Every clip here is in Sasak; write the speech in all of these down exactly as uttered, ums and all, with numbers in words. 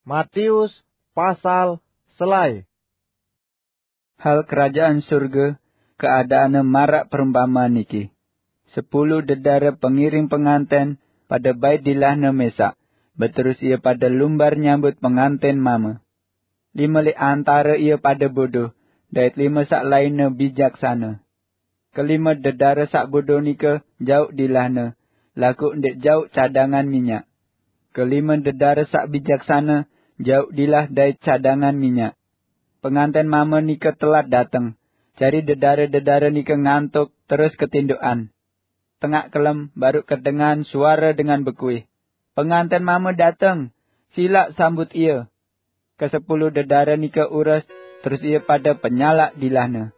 Matius pasal selae. Hal kerajaan surga keadaane marak perumpamaan niki. Sepuluh dedare pengiring penganten pada bait dilahne mesak, beterus ia pada lumbar nyambut penganten mama. Lima leq antare ia pada bodoh, dait lima saq lainne bijaksane. Kelime dedare saq bodoh nike jauq dilahne, laguq ndeq jauq cadangan minyak. Kelime dedare saq bijaksane jauq dilah dait cadangan minyak. Penganten mame nike telat dateng, jari dedare-dedare nike ngantuk terus ketindoqan. Tengaq kelem baruq kedengahan suare dengan bekuih, "Penganten mame dateng, silaq sambut ie!" Kesepuluh dedare nike ures, terus ie pade penyalaq dilahne.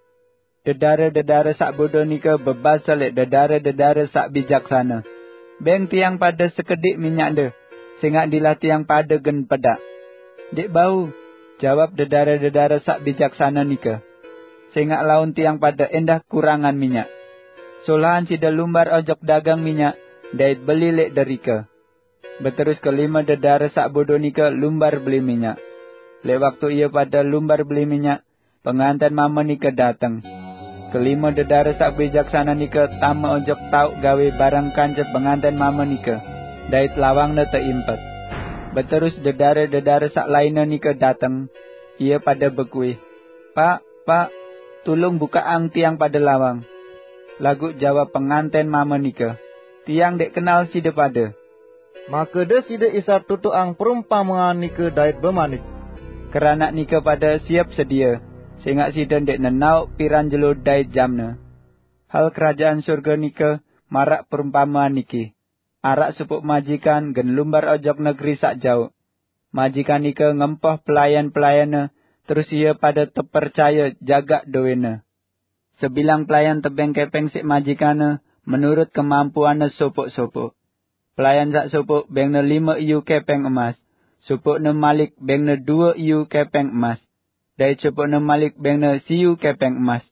Dedare-dedare saq bodoh nike bebase leq dedare-dedare saq bijaksane, "Beng tiang pade sekediq minyakde, sengaq dilah tiang pade gen pedaq." "Ndeq bau," jawab dedare-dedare saq bijaksane nike, "sengaq laun tiang pade endah kurangan minyak. Solahan side lumbar ojok dagang minyak, dait beli leq derike." Beterus kelime dedare saq bodoh nike lumbar beli minyak. Leq waktu ie pade lumbar beli minyak, penganten mame nike dateng. Kelime dedare saq bijaksane nike tame ojok taoq gawe bareng kance penganten mame nike, dait lawangne teimpet. Beterus dedare-dedare saq lainne nike dateng, ie pade bekuih, "Paq, Paq, tulung bukaqang tiang pade lawang." Laguq jawab penganten mame nike, "Tiang ndeq kenal side pade." Make deside Isa tutuqang perumpamean nike dait bemanik, "Keranaq nike pade siep sedie, sengaq side ndeq nenaoq piran jelo dait jamne. Hal kerajaan surga nike marak perumpamean niki. Araq sopoq majikan gen lumbar ojok negeri saq jauq. Majikan nike ngempoh pelayan-pelayanne, terus ie pade tepercaye jagaq dowene. Sebilang pelayan tebeng kepeng siq majikanne menurut kemampuanne sopoq-sopoq. Pelayan saq sopoq bengne lime iyu kepeng emas, sopoqne malik bengne due iyu kepeng emas, dait sopoqne malik bengne siyu kepeng emas."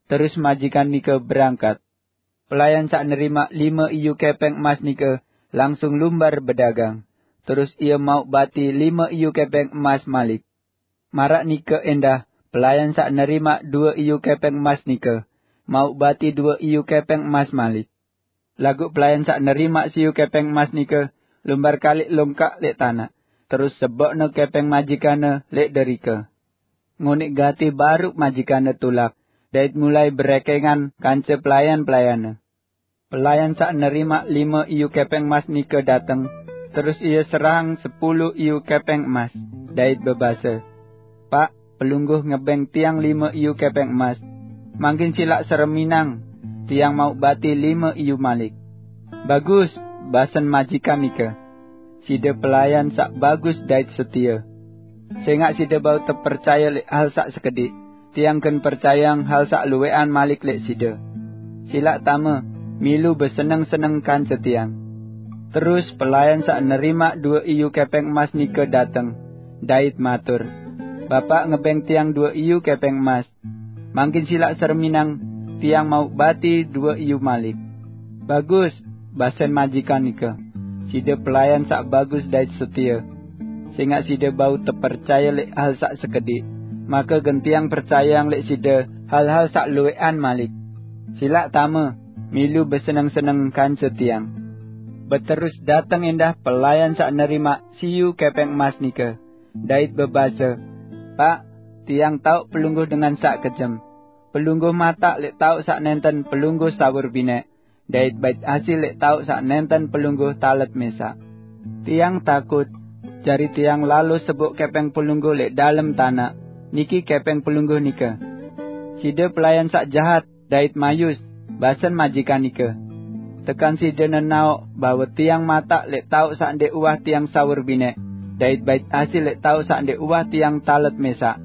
Terus majikan nike berangkat. Pelayan saq nerimaq lime iyu kepeng emas nike langsung lumbar bedagang, terus ie mauq bati lime iyu kepeng emas malik. Maraq nike endah, pelayan saq nerimaq due iyu kepeng emas nike mauq bati due iyu kepeng emas malik. Laguq pelayan saq nerimaq siyu kepeng emas nike lumbar kaliq longkak leq tanaq, terus seboqne kepeng majikanne leq derike. Ngoneq gati baruq majikanne tulak, dait mulai berekengan kance pelayan-pelayanne. Pelayan saq nerimaq lime iyu kepeng emas nike dateng, terus ie serahang sepulu iyu kepeng emas, dait bebase, "Paq, pelungguh ngebeng tiang lime iyu kepeng emas. Mangkin silaq sereminang, tiang mauq bati lime iyu malik." "Bagus," basen majikan nike, "side pelayan saq bagus dait setie. Sengaq side bau tepercaye leq hal saq sekediq, tiang gen percayeang hal saq luweqan malik leq side. Silaq tame, milu beseneng-seneng kance tiang." Terus pelayan saq nerimaq due iyu kepeng emas nike dateng, dait matur, "Bapaq ngebeng tiang due iyu kepeng emas. Mangkin silaq sereminang, tiang mauq bati due iyu malik." "Bagus," basen majikan nike, "side pelayan saq bagus dait setie. Sengaq side bau tepercaye leq hal saq sekediq, make gen tiang percayeang leq side hal-hal saq luweqan malik. Silaq tame, milu beseneng-seneng kance tiang." Beterus dateng endah pelayan saq nerimaq siyu kepeng emas nike, dait bebase, "Paq, tiang taoq pelungguh dengan saq kejem. Pelungguh mataq leq taoq saq nenten pelungguh sawur bineq, dait bait hasil leq taoq saq nenten pelungguh talet mesaq. Tiang takut, jari tiang lalo seboq kepeng pelungguh leq dalem tanaq, niki kepeng pelungguh nike." "Side pelayan saq jahat dait mayus," basen majikan nike, "tekan side nenaoq bahwe tiang mataq leq taoq saq ndeq uwah tiang sawur bineq, dait bait hasil leq taoq saq ndeq uwah tiang talet mesaq.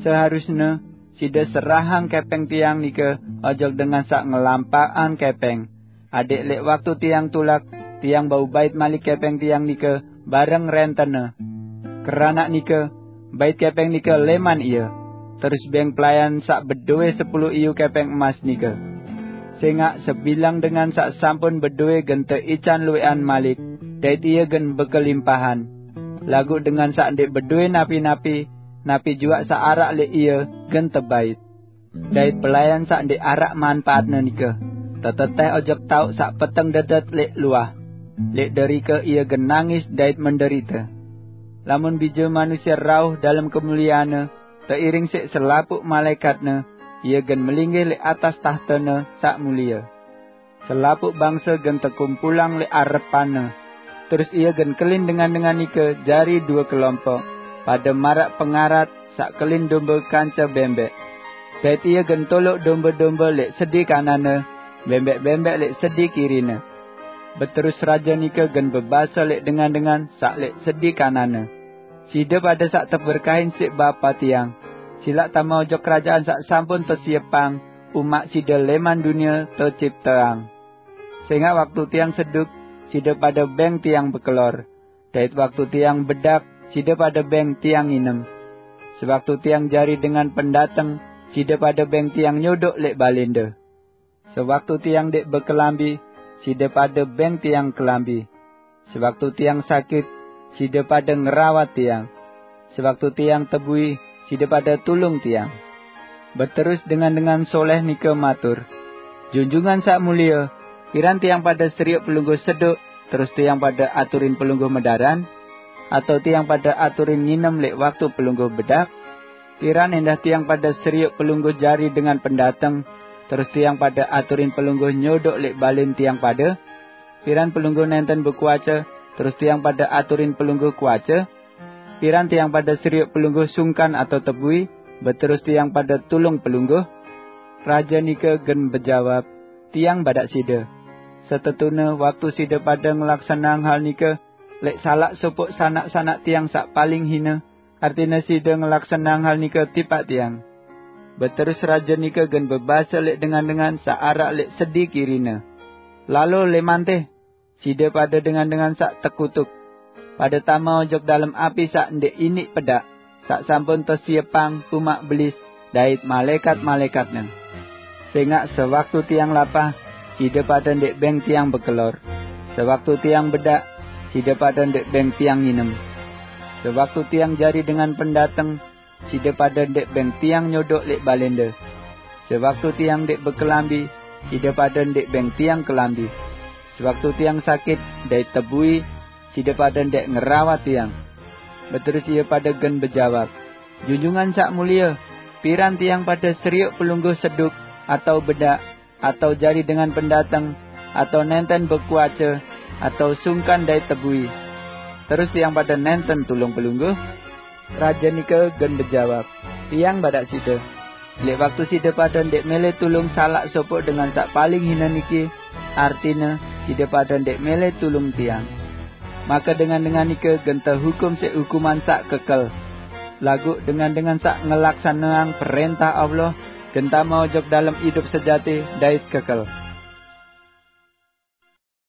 Seharusne side serahang kepeng tiang nike ojok dengan saq ngelampaqang kepeng, adaq leq waktu tiang tulak, tiang bau bait malik kepeng tiang nike bareng rentenne. Keranaq nike, bait kepeng nike leman ie, terus beng pelayan saq bedowe sepulu iyu kepeng emas nike. Sengaq sebilang dengan saq sampun bedowe gen teican luweqan malik, dait ie gen bekelimpahan. Laguq dengan saq ndẽq bedowe napi-napi, napi juaq saq araq lẽq ie gen tebait. Dait pelayan saq ndẽq araq manpaatne nike teteteh ojok taoq saq peteng dedet lẽq luah. Lẽq derike ie gen nangis dait menderite. Lamun Bije Manusie rauh dalem kemulieanne, teiring siq selapuq malaẽkatne, ie gen melinggih lẽq atas tahtene saq mulie. Selapuq bangse gen tekumpulang lẽq arepanne. Terus ie gen kelin dengan-dengan nike jari due kelompok, pade maraq pengarat saq kelin dombe kance bembeq. Dait ie gen toloq dombe-dombe lẽq sedi kananne, bembeq-bembeq lẽq sedi kirine. Beterus raje nike gen bebase lẽq dengan-dengan saq lẽq sedi kananne, "Side pade saq teberkahin siq Bapa tiang, silaq tame ojok kerajaan saq sampun tesiepang umaq side lẽman dunie tecipteang. Sẽngaq waktu tiang seduk, side pade beng tiang bekelor, dait waktu tiang bedak, side pade beng tiang nginem. Sewaktu tiang jari dengan pendateng, side pade beng tiang nyodoq lẽq balẽnde. Sewaktu tiang ndẽq bekelambi, side pade beng tiang kelambi. Sewaktu tiang sakit, side pade ngerawat tiang. Sewaktu tiang tebui, side pade tulung tiang." Beterus dengan-dengan soleh nike matur, "Junjungan saq mulie, piran tiang pade serioq pelungguh seduk, terus tiang pade aturin pelungguh medaran? Atao tiang pade aturin nginem lẽq waktu pelungguh bedak? Piran endah tiang pade serioq pelungguh jari dengan pendateng, terus tiang pade aturin pelungguh nyodoq lẽq balẽn tiang pade? Piran pelungguh nenten bekuace, terus tiang pade aturin pelungguh kuace? Piran tiang pade serioq pelungguh sungkan atao tebui, beterus tiang pade tulung pelungguh?" Raje nike gen bejawab, "Tiang badaq side, setetune waktu side pade ngelaksaneang hal nike lẽq salaq sopoq sanak-sanak tiang saq paling hine, artine side ngelaksaneang hal nike tipaq tiang." Beterus raje nike gen bebase lẽq dengan-dengan saq araq lẽq sedi kirine, "Lalo lẽmante, side pade dengan-dengan saq tekutuk, pade tame ojok dalem api saq ndẽq iniq pedaq, saq sampun tesiepang umaq Belis dait malaẽkat-malaẽkatne. Sẽngaq sewaktu tiang lapah, side pade ndẽq beng tiang bekelor. Sewaktu tiang bedak, side pade ndẽq beng tiang nginem. Sewaktu tiang jari dengan pendateng, side pade ndẽq beng tiang nyodoq lẽq balẽnde. Sewaktu tiang ndẽq bekelambi, side pade ndẽq beng tiang kelambi. Sewaktu tiang sakit dait tebui, side pade ndẽq ngerawat tiang." Beterus ie pade gen bejawab, "Junjungan saq mulie, piran tiang pade serioq pelungguh seduk, atao bedak, atao jari dengan pendateng, atao nenten bekuace, atao sungkan dait tebui, terus tiang pade nenten tulung pelungguh?" Raje nike gen bejawab, "Tiang badaq side, lẽq waktu side pade ndẽq mele tulung salaq sopoq dengan saq paling hine niki, artine side pade ndẽq mele tulung tiang, make dengan-dengan nike gen tehukum siq hukuman saq kekel. Laguq dengan-dengan saq ngelaksaneang perẽntah Allah gen tame ojok dalem idup sejati dait kekel."